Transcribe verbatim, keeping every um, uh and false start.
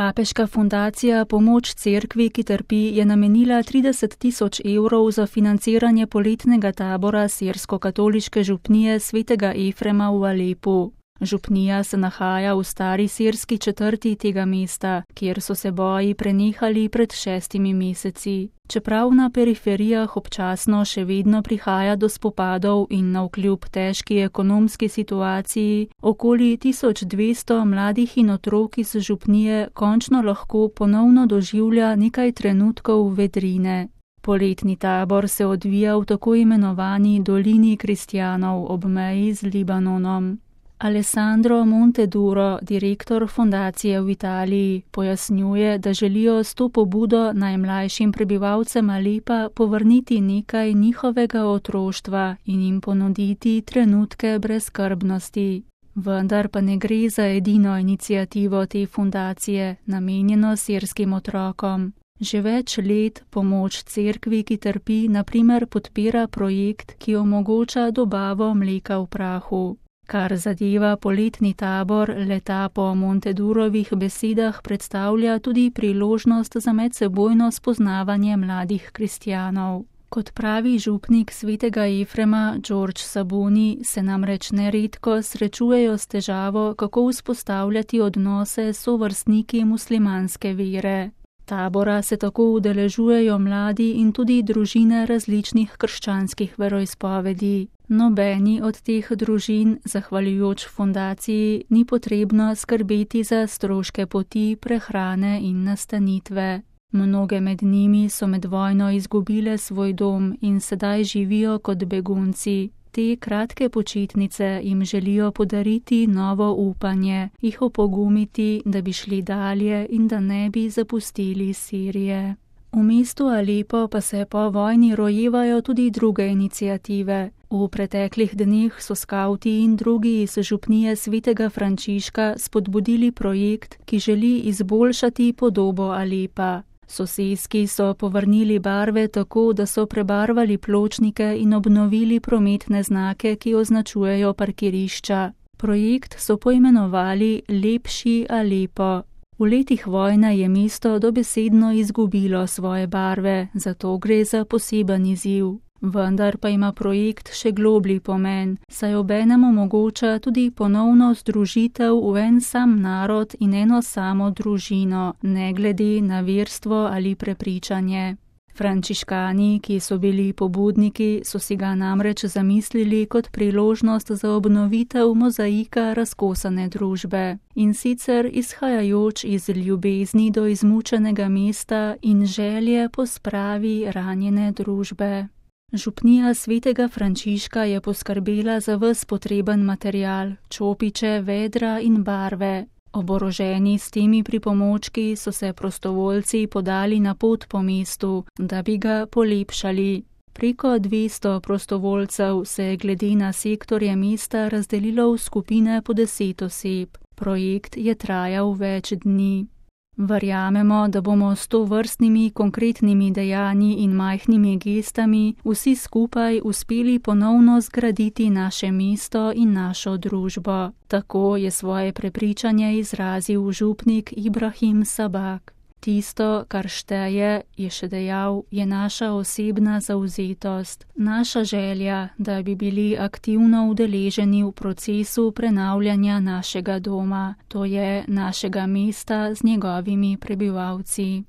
Papeška fundacija Pomoč cerkvi, ki trpi, je namenila trideset tisoč evrov za financiranje poletnega tabora sirsko-katoliške župnije svetega Efrema v Alepu. Župnija se nahaja v stari sirski četrti tega mesta, kjer so se boji prenehali pred šestimi meseci. Čeprav na periferijah občasno še vedno prihaja do spopadov in navkljub težki ekonomski situaciji, okoli tisoč dvesto mladih in otrok iz župnije končno lahko ponovno doživlja nekaj trenutkov vedrine. Poletni tabor se odvija v tako imenovani dolini kristjanov ob meji z Libanonom. Alessandro Monteduro, direktor fundacije v Italiji, pojasnjuje, da želijo s to pobudo najmlajšim prebivalcem Alepa povrniti nekaj njihovega otroštva in jim ponuditi trenutke brezskrbnosti. Vendar pa ne gre za edino iniciativo te fundacije, namenjeno sirskim otrokom. Že več let Pomoč cerkvi, ki trpi, na primer podpira projekt, ki omogoča dobavo mleka v prahu. Kar zadeva poletni tabor, leta po Montedurovih besedah predstavlja tudi priložnost za medsebojno spoznavanje mladih kristjanov. Kot pravi župnik svetega Efrema George Sabuni, se namreč neredko srečujejo s težavo, kako vzpostavljati odnose s sovrstniki muslimanske vere. Tabora se tako udeležujejo mladi in tudi družine različnih krščanskih veroizpovedi. Nobeni od teh družin, zahvaljujoč fundaciji, ni potrebno skrbeti za stroške poti, prehrane in nastanitve. Mnoge med njimi so med vojno izgubile svoj dom in sedaj živijo kot begunci. Te kratke počitnice jim želijo podariti novo upanje, jih opogumiti, da bi šli dalje in da ne bi zapustili Sirije. V mestu Alepo pa se po vojni rojevajo tudi druge iniciative. V preteklih dneh so skavti in drugi iz župnije svetega Frančiška spodbudili projekt, ki želi izboljšati podobo Alepa. Soseski so povrnili barve tako, da so prebarvali pločnike in obnovili prometne znake, ki označujejo parkirišča. Projekt so poimenovali Lepši Alepo. V letih vojne je mesto dobesedno izgubilo svoje barve, zato gre za poseben izziv. Vendar pa ima projekt še globlji pomen, saj obenem omogoča tudi ponovno združitev v en sam narod in eno samo družino, ne glede na verstvo ali prepričanje. Frančiškani, ki so bili pobudniki, so si ga namreč zamislili kot priložnost za obnovitev mozaika razkosane družbe. In sicer izhajajoč iz ljubezni do izmučenega mesta in želje po spravi ranjene družbe. Župnija svetega Frančiška je poskrbela za ves potreben material, čopiče, vedra in barve. Oboroženi s temi pripomočki so se prostovoljci podali na pot po mestu, da bi ga polepšali. Preko dvesto prostovoljcev se je glede na sektorje mesta razdelilo v skupine po deset oseb. Projekt je trajal več dni. Verjamemo, da bomo s tovrstnimi konkretnimi dejanji in majhnimi gestami vsi skupaj uspeli ponovno zgraditi naše mesto in našo družbo. Tako je svoje prepričanje izrazil župnik Ibrahim Sabak. Tisto, kar šteje, je še dejal, je naša osebna zavzetost, naša želja, da bi bili aktivno udeleženi v procesu prenavljanja našega doma, to je našega mesta z njegovimi prebivalci.